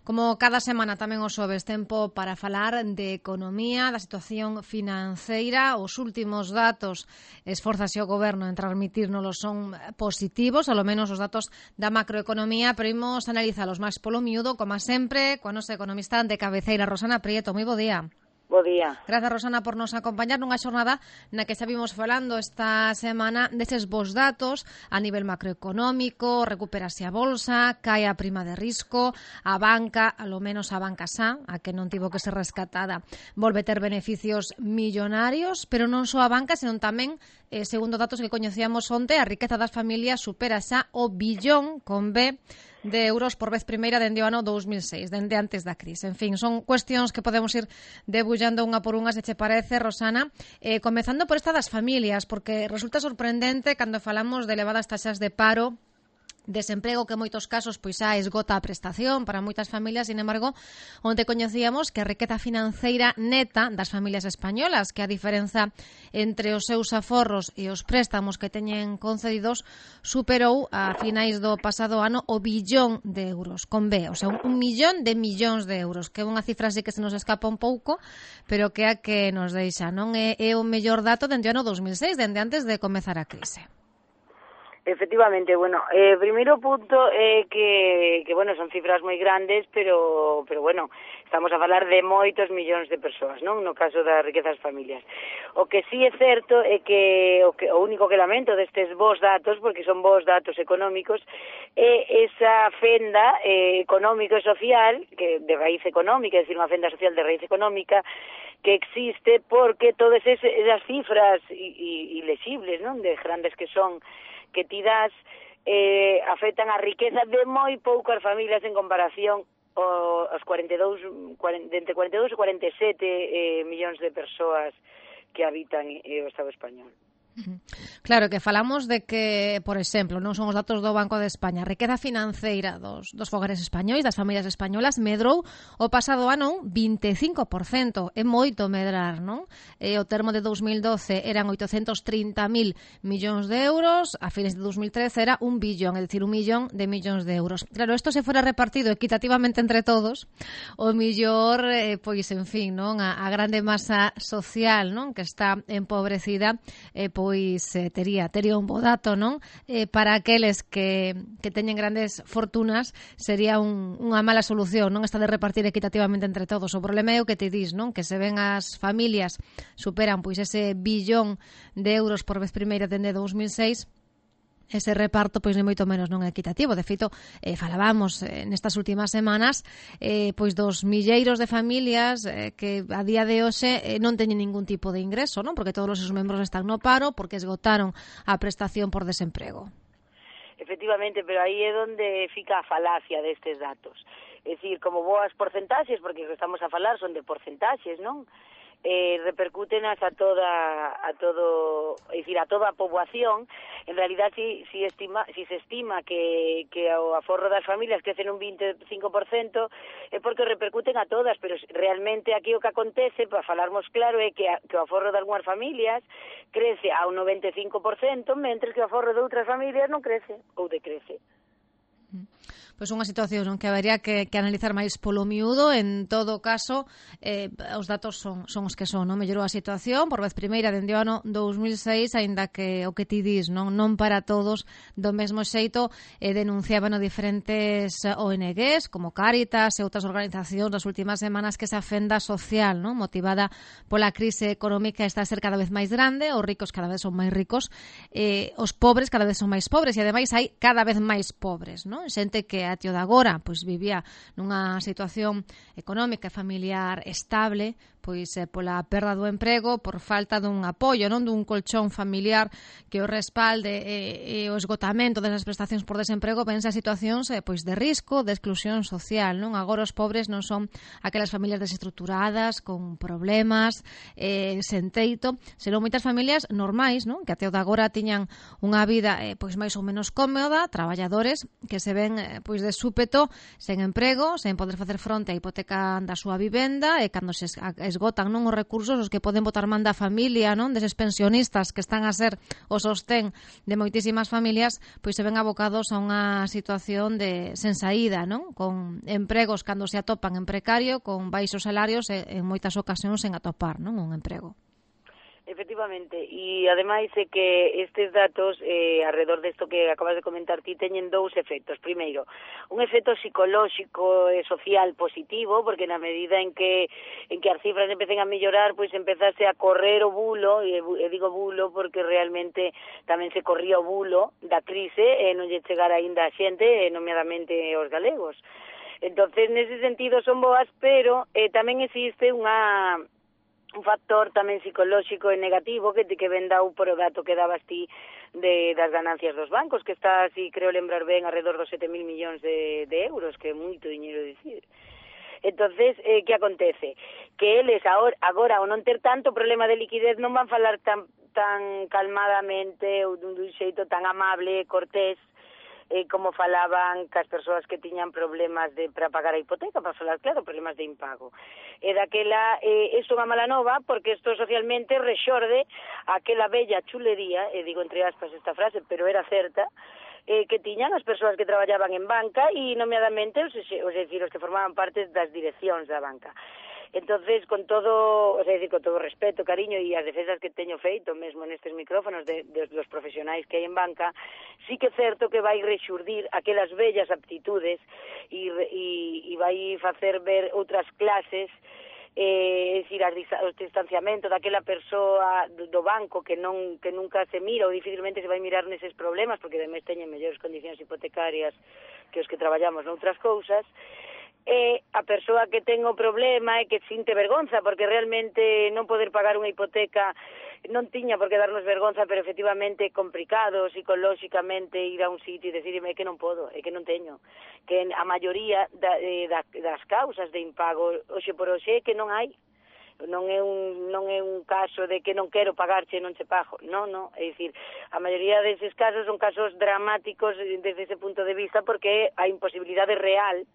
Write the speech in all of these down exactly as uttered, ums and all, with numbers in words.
Como cada semana tamén os xoves, tempo para falar de economía, da situación financeira. Os últimos datos, esforzase o Goberno en transmitírnoslos, son positivos, ao menos os datos da macroeconomía, pero imos analizalos máis polo miúdo, como sempre, coa nosa economista de cabeceira, Rosana Prieto. Moi bo día. Bo día. Grazas, Rosana, por nos acompañar nunha xornada na que xa vimos falando esta semana deses bons datos a nivel macroeconómico. Recuperase a bolsa, cae a prima de risco, a banca, a lo menos a banca xa, a que non tivo que ser rescatada, volve ter beneficios millonarios, pero non só a banca, senón tamén, eh, segundo datos que coñecíamos onte, a riqueza das familias supera xa o billón con B de euros por vez primeira dende o ano dous mil seis, dende antes da crise. En fin, son cuestións que podemos ir debullando unha por unha, se che parece, Rosana. Eh, comezando por esta das familias, porque resulta sorprendente cando falamos de elevadas taxas de paro, desemprego, que en moitos casos pois xa esgota a prestación para moitas familias. Sin embargo, onte coñecíamos que a riqueza financeira neta das familias españolas, que a diferenza entre os seus aforros e os préstamos que teñen concedidos, superou a finais do pasado ano o billón de euros, con B, o sea, un, un millón de millóns de euros, que é unha cifra así que se nos escapa un pouco, pero que é a que nos deixa, non é, é o mellor dato dende o ano dous mil seis, dende antes de comezar a crise. Efectivamente, bueno, eh, primeiro punto é eh, que, que, bueno, son cifras moi grandes, pero, pero, bueno, estamos a falar de moitos millóns de persoas, non? No caso das riquezas familias. O que sí é certo é que o, que, o único que lamento destes bons datos, porque son bons datos económicos, é esa fenda eh, económico e social, que de raíz económica, é dicir, unha fenda social de raíz económica, que existe porque todas esas cifras ilexibles, non? De grandes que son, que ti das, eh, afectan a riqueza de moi poucas familias en comparación aos cuarenta e dous, cuarenta, entre cuarenta e dous e cuarenta e sete eh, millóns de persoas que habitan eh, o Estado español. Claro, que falamos de que, por exemplo, non son os datos do Banco de España, a riqueza financeira dos, dos fogares españois, das familias españolas, medrou o pasado ano un vinte e cinco por cento, é moito medrar, non? E o termo de dous mil doce eran oitocentos trinta mil millóns de euros, a fines de dous mil trece era un billón, é dicir, un millón de millóns de euros. Claro, isto se fora repartido equitativamente entre todos, o millor, eh, pois, en fin, non? A, a grande masa social, non? Que está empobrecida, eh, pois eh, tería tería un bo dato, non? Eh, para aqueles que, que teñen grandes fortunas sería un, unha mala solución, non? Esta de repartir equitativamente entre todos. O problema é o que te dis, non? Que se ven as familias superan pois ese billón de euros por vez primeira dende dous mil seis, ese reparto pois ni moito menos non é equitativo. De feito, eh, falábamos eh, nestas últimas semanas eh, pois dos milleiros de familias eh, que a día de hoxe eh, non teñen ningún tipo de ingreso, non? Porque todos os seus membros están no paro, porque esgotaron a prestación por desemprego. Efectivamente, pero aí é onde fica a falacia destes datos. É dicir, como boas porcentaxes, porque o que estamos a falar son de porcentaxes, non? Eh, repercútenas a toda a todo, é dicir, a toda a poboación. En realidad, si si estima si se estima que que o aforro das familias crece un vinte e cinco por cento, é porque repercuten a todas, pero realmente aquí o que acontece, para falarmos claro, é que, a, que o aforro de algunhas familias crece a un noventa e cinco por cento, mentres que o aforro de outras familias non crece ou decrece. Pois unha situación non que habería que, que analizar máis polo miúdo. En todo caso, eh, os datos son, son os que son, non? Mellorou a situación por vez primeira dende o ano dous mil seis, aínda que o que ti dis, non, non para todos do mesmo xeito. Eh, denunciaban diferentes O N Ges, como Cáritas e outras organizacións das últimas semanas, que esa fenda social, non, motivada pola crise económica, está a ser cada vez máis grande, os ricos cada vez son máis ricos, eh, os pobres cada vez son máis pobres, e ademais hai cada vez máis pobres, non? Xente que a tío de agora pois vivía nunha situación económica e familiar estable, pois eh, pola perda do emprego, por falta dun apoio, non, dun colchón familiar que o respalde e, e o esgotamento desas prestacións por desemprego, pensa situacións eh, pois de risco, de exclusión social, non? Agora os pobres non son aquelas familias desestructuradas, con problemas, eh, sen teito, senón moitas familias normais, non? Que até o de agora tiñan unha vida eh, pois máis ou menos cómoda, traballadores que se ven eh, pois pois de súpeto, sen emprego, sen poder facer fronte á hipoteca da súa vivenda, e cando se esgotan non os recursos os que poden botar man da familia, non, deses pensionistas que están a ser o sostén de moitísimas familias, pois se ven abocados a unha situación de sen saída, non, con empregos cando se atopan en precario, con baixos salarios e en moitas ocasións sen atopar, non, un emprego. Efectivamente, e ademais é que estes datos eh, alrededor desto que acabas de comentar ti teñen dous efectos. Primeiro, un efecto psicolóxico e social positivo, porque na medida en que en que as cifras empecen a mellorar, pois empezase a correr o bulo, e, e digo bulo porque realmente tamén se corría o bulo da crise e non lle chegara aínda a xente, nomeadamente os galegos. Entonces, nese sentido son boas, pero eh, tamén existe unha un factor tamén psicolóxico e negativo que que ven dado por o dato que dabas ti de, das ganancias dos bancos, que está, si creo lembrar ben, alrededor dos sete mil millóns de, de euros, que é moito diñeiro dicir. Entonces, eh, que acontece? Que eles agora, agora, ao non ter tanto problema de liquidez, non van falar tan, tan calmadamente ou dun, dun xeito tan amable e cortés, eh, como falaban cas persoas que tiñan problemas de para pagar a hipoteca, para falar claro, problemas de impago. E daquela, eh, isto é unha mala nova, porque isto socialmente rexorde aquela bella chulería, e digo entre aspas esta frase, pero era certa, eh, que tiñan as persoas que traballaban en banca e nomeadamente, os, os, decir, os que formaban parte das direccións da banca. Entonces, con todo, o sea, decir, con todo respeto, cariño e as defensas que teño feito mesmo nestes micrófonos de, de los profesionais que hai en banca, sí que é certo que vai rexurdir aquelas bellas aptitudes e, e, e vai facer ver outras clases, eh, é dicir, o distanciamento daquela persoa do, do banco que non que nunca se mira ou dificilmente se vai mirar neses problemas, porque ademais teñen mellores condicións hipotecarias que os que traballamos noutras cousas, e a persoa que ten o problema e que sinte vergonza, porque realmente non poder pagar unha hipoteca non tiña por que darnos vergonza, pero efectivamente é complicado psicolóxicamente ir a un sitio e decirme que non podo, é que non teño, que a maioría da, da, das causas de impago hoxe por hoxe é que non hai, non é un non é un caso de que non quero pagarche e non che pago, non, non, é dicir, a maioría deses casos son casos dramáticos desde ese punto de vista, porque a imposibilidade real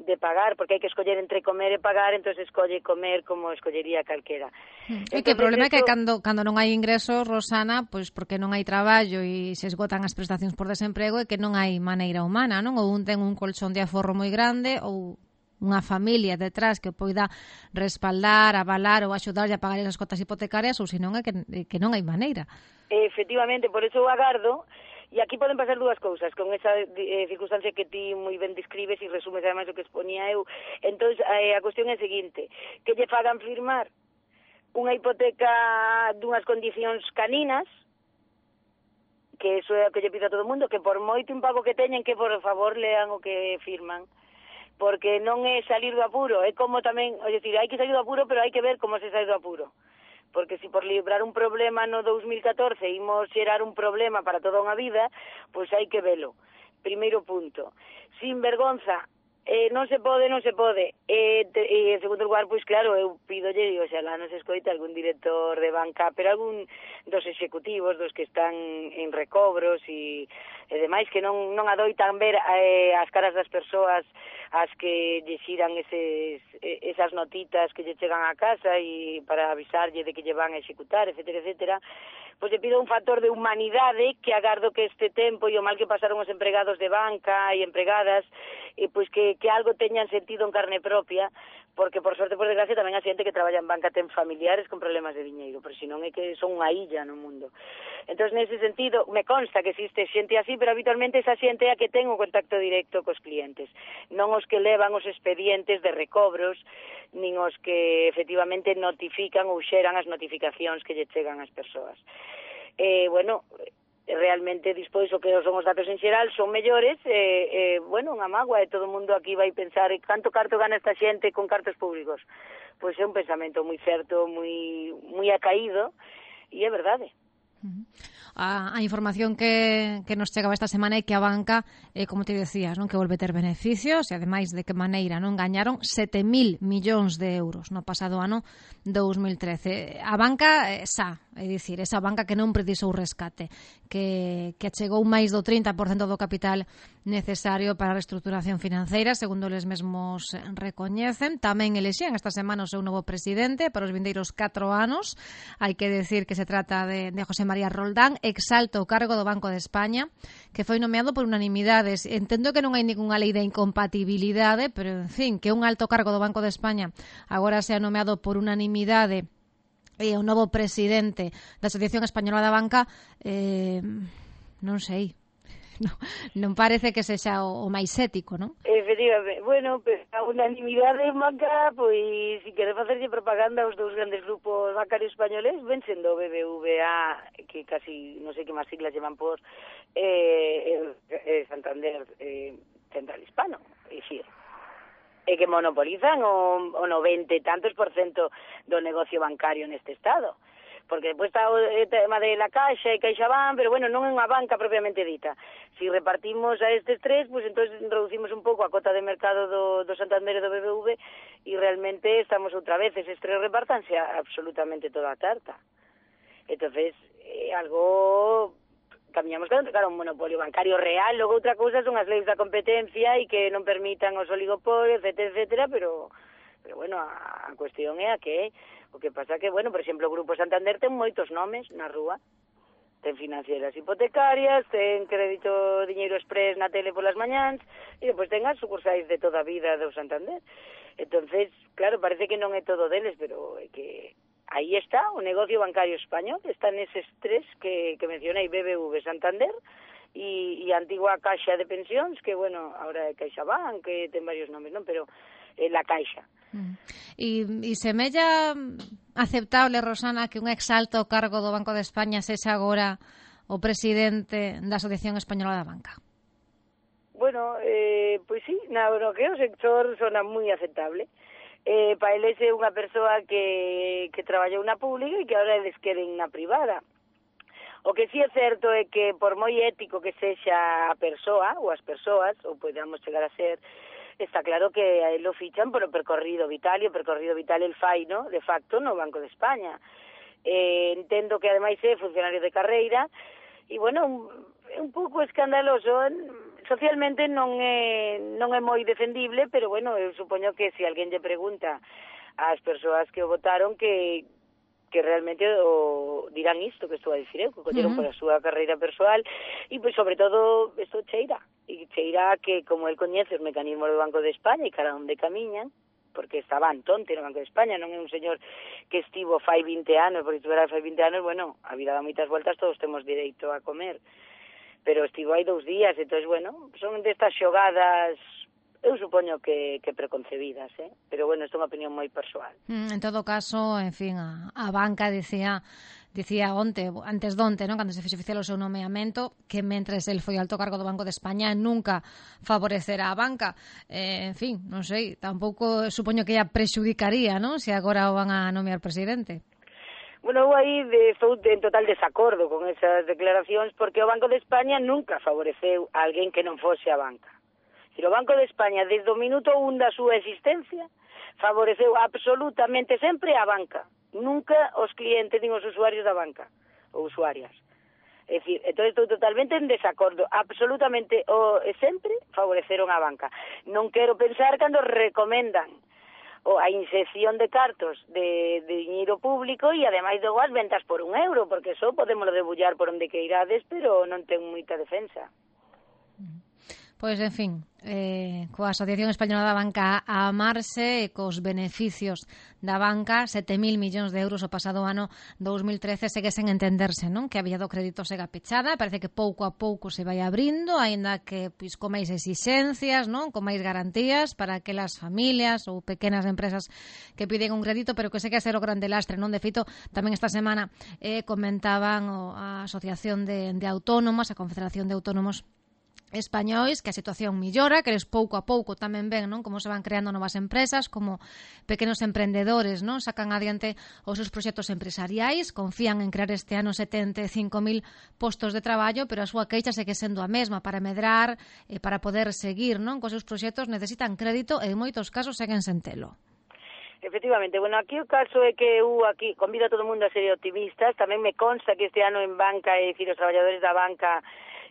de pagar, porque hai que escoller entre comer e pagar, entón escolle comer como escollería calquera. E que o problema é que cando, cando non hai ingresos, Rosana, pois porque non hai traballo e se esgotan as prestacións por desemprego, é que non hai maneira humana, non? Ou un ten un colchón de aforro moi grande, ou unha familia detrás que poida respaldar, avalar ou axudarlle a pagar esas cotas hipotecarias, ou senón é que, que non hai maneira. Efectivamente, por eso eu agardo. E aquí poden pasar dúas cousas, con esa eh, circunstancia que ti moi ben describes e resumes ademais o que exponía eu. Entón, eh, a cuestión é a seguinte, que lle fagan firmar unha hipoteca dunhas condicións caninas, que iso é o que lle pido a todo o mundo, que por moito impago que teñen, que por favor lean o que firman, porque non é salir do apuro, é como tamén, é dicir, hai que salir do apuro, pero hai que ver como se sai do apuro. Porque se por librar un problema no dos mil catorce imos xerar un problema para toda unha vida, pois hai que velo. Primeiro punto. Sin vergonza, eh, non se pode, non se pode. E, te, e en segundo lugar, pois claro, eu pidolle, o sea, lá nos escoita algún director de banca, pero algún dos executivos, dos que están en recobros e, e demais, que non, non adoitan ver eh, as caras das persoas as que lle xiran eses, esas notitas que lle chegan a casa e para avisarlle de que lle van a executar, etcétera, etcétera, pois lle pido un factor de humanidade que agardo que este tempo e o mal que pasaron os empregados de banca e empregadas, e pois que, que algo teñan sentido en carne propia, porque por sorte, por desgracia, tamén a xente que traballa en banca ten familiares con problemas de diñeiro, pero senón é que son unha illa no mundo. Entón, nese sentido, me consta que existe xente así, pero habitualmente esa xente é a que ten un contacto directo cos clientes, non os que levan os expedientes de recobros, nin os que efectivamente notifican ou xeran as notificacións que lle chegan ás persoas. Eh, bueno, realmente dispois o que son os datos en xeral son mellores, e, eh, bueno, unha mágoa, e todo o mundo aquí vai pensar canto carto gana esta xente con cartos públicos. Pois é un pensamento moi certo, moi moi acaído, e é verdade. Uh-huh. A, a información que, que nos chegaba esta semana é que a banca, eh, como te decías, non, que volve ter beneficios, e ademais de que maneira, non, gañaron sete mil millóns de euros no pasado ano dous mil trece. A banca, eh, xa, é dicir, esa banca que non precisou rescate, que, que chegou máis do trinta por cento do capital necesario para a reestruturación financeira, segundo eles mesmos recoñecen. Tamén elexían esta semana o seu novo presidente para os vindeiros catro anos. Hai que decir que se trata de, de José María Roldán, exalto o cargo do Banco de España, que foi nomeado por unanimidade. Entendo que non hai ningunha lei de incompatibilidade, pero, en fin, que un alto cargo do Banco de España agora sea nomeado por unanimidade e o novo presidente da Asociación Española da Banca, eh, non sei, non, non parece que sexa o, o máis ético, non? Efectivamente, bueno, a unanimidade en banca, pois, se quere facerlle propaganda aos dous grandes grupos bancarios españoles, ven sendo B B V A, que casi, non sei que máis siglas llevan por, eh, eh, Santander eh, Central Hispano, e xir. E que monopolizan o, o noventa e tantos por cento do negocio bancario neste estado. Porque depois está o tema de la Caixa e CaixaBank, pero bueno, non é unha banca propiamente dita. Si repartimos a estes tres, pues entonces reducimos un pouco a cota de mercado do, do Santander e do B B V e realmente estamos outra vez, eses tres repartanse absolutamente toda a tarta. Entonces, é algo... Camiñamos claro, claro, un monopolio bancario real, logo outra cousa son as leis da competencia e que non permitan os oligopolios, etcétera, etcétera, pero, pero bueno, a, a cuestión é a que o que pasa que, bueno, por exemplo, o Grupo Santander ten moitos nomes na rúa, ten financieras hipotecarias, ten crédito Diñeiro Express na tele polas mañáns, e depois ten as sucursais de toda a vida do Santander. Entonces, claro, parece que non é todo deles, pero é que... Aí está, o negocio bancario español, están eses tres que, que mencionei, B B V, Santander e, e a antigua Caixa de Pensións, que, bueno, ahora é CaixaBank, que ten varios nomes, non? Pero é la Caixa. Mm. E, e semella aceptable, Rosana, que un exalto cargo do Banco de España sexa agora o presidente da Asociación Española da Banca? Bueno, eh, pois sí, na, no que o sector sona moi aceptable. Eh, para eles é unha persoa que, que traballou na pública e que agora eles queren na privada. O que sí é certo é que por moi ético que sexa a persoa ou as persoas, ou podemos chegar a ser, está claro que a él lo fichan por o percorrido vital e o percorrido vital el fai, no? De facto, no Banco de España. Eh, entendo que ademais é funcionario de carreira e, bueno, un, un pouco escandaloso. Socialmente non é, non é moi defendible, pero, bueno, eu supoño que se alguén lle pregunta ás persoas que o votaron que, que realmente o dirán isto que estou a dicir eu, que colleron uh -huh. por a súa carreira persoal e, pois, sobre todo, isto cheira. E cheira que, como el coñece os mecanismos do Banco de España e cara onde camiñan, porque estaba Antonte no Banco de España, non é un señor que estivo fai vinte anos, porque estivera fai vinte anos, bueno, a vida dá moitas voltas, todos temos direito a comer. Pero estivo aí dous días, entón, bueno, son destas xogadas, eu supoño que, que preconcebidas, eh? Pero, bueno, isto é unha opinión moi persoal. Mm, en todo caso, en fin, a, a banca dicía, dicía onte, antes donte, non, cando se fixe oficial o seu nomeamento, que mentres el foi alto cargo do Banco de España nunca favorecerá a banca. Eh, en fin, non sei, tampouco supoño que ella prexudicaría, non, se agora o van a nomear presidente. Bueno, eu aí de, estou en total desacordo con esas declaracións, porque o Banco de España nunca favoreceu a alguén que non fose a banca. E o Banco de España, desde o minuto un da súa existencia, favoreceu absolutamente sempre a banca, nunca os clientes nin os usuarios da banca, ou usuarias. É dicir, entón estou totalmente en desacordo, absolutamente o, sempre favoreceron a banca. Non quero pensar cando recomendan ou a inxección de cartos de, de diñeiro público e ademais logo as ventas por un euro, porque eso podémoslo debullar por onde que irades, pero non ten moita defensa. Pois, en fin, eh, coa Asociación Española da Banca a amarse e cos beneficios da banca, sete mil millóns de euros o pasado ano dous mil trece, segue sen entenderse, non? Que a vía do crédito sega pechada, parece que pouco a pouco se vai abrindo, aínda que pois, con máis exixencias, non? Con máis garantías para aquelas familias ou pequenas empresas que piden un crédito, pero que segue a ser o grande lastre, non? De feito, tamén esta semana eh, comentaban o, a Asociación de, de Autónomos, a Confederación de Autónomos españois, que a situación millora, que eles pouco a pouco tamén ven, non, como se van creando novas empresas, como pequenos emprendedores, non, sacan adiante os seus proxectos empresariais, confían en crear este ano setenta e cinco mil postos de traballo, pero a súa queixa segue sendo a mesma, para medrar e para poder seguir, non, cos seus proxectos necesitan crédito e en moitos casos seguen sen telo. Efectivamente, bueno, aquí o caso é que eu aquí convido a todo o mundo a ser optimistas, tamén me consta que este ano en banca, é dicir, os traballadores da banca,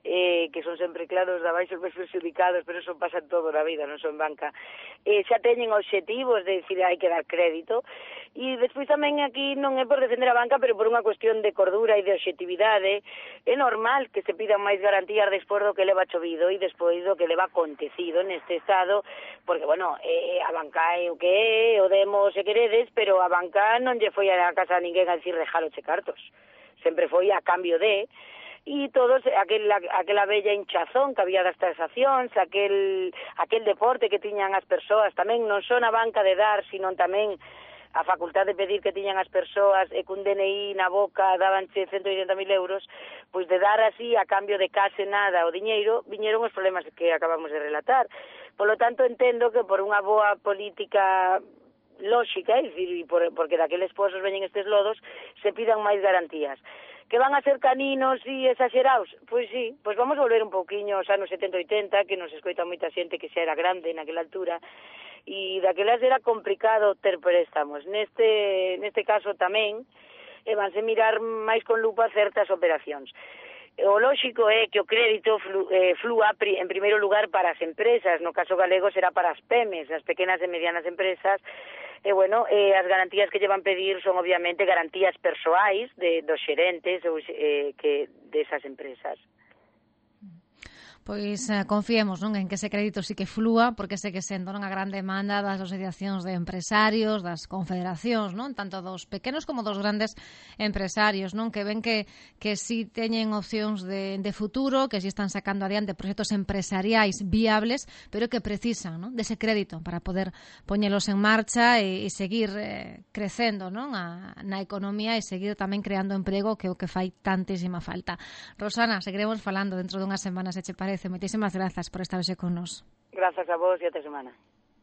eh, que son sempre claros da baixo os máis perjudicados, pero eso pasa todo na vida, non son banca, eh, xa teñen obxectivos de dicir hai que dar crédito, e despois tamén aquí non é por defender a banca, pero por unha cuestión de cordura e de obxectividade, é normal que se pidan máis garantías despois do que leva chovido e despois do que leva acontecido neste estado, porque, bueno, eh, a banca é o que é, o demos se queredes, pero a banca non lle foi a casa a ninguén a dicir rejaloche cartos, sempre foi a cambio de, e todos, aquela, aquela bella hinchazón que había das taxacións, aquel, aquel deporte que tiñan as persoas, tamén non son a banca de dar, sino tamén a facultad de pedir que tiñan as persoas e cun D N I na boca dabanche ciento oitenta mil euros, pois de dar así a cambio de case nada o diñeiro, viñeron os problemas que acabamos de relatar. Por lo tanto, entendo que por unha boa política lóxica, é dicir, por, porque daqueles pozos veñen estes lodos, se pidan máis garantías. Que van a ser caninos e exagerados? Pois sí, pois vamos volver un pouquiño aos anos setenta e oitenta, que nos escoita moita xente que xa era grande naquela altura, e daquelas era complicado ter préstamos. Neste, neste caso tamén, e vanse mirar máis con lupa certas operacións. O lóxico é que o crédito flu, eh, flúa pri, en primeiro lugar para as empresas, no caso galego será para as PEMES, as pequenas e medianas empresas, e, bueno, eh, as garantías que llevan pedir son, obviamente, garantías persoais de, dos xerentes ou, eh, que desas empresas. Pois eh, confiemos, non, en que ese crédito sí que flúa, porque sei que sendo non a gran demanda das asociacións de empresarios, das confederacións, non, tanto dos pequenos como dos grandes empresarios, non, que ven que que si teñen opcións de, de futuro, que si están sacando adiante proxectos empresariais viables, pero que precisan, non, dese crédito para poder poñelos en marcha e, e seguir eh, crecendo, non, a, na economía e seguir tamén creando emprego, que é o que fai tantísima falta. Rosana, seguiremos falando dentro dunhas semanas, se che parece. Moitísimas grazas por estar hoxe con nos. Grazas a vos e até semana.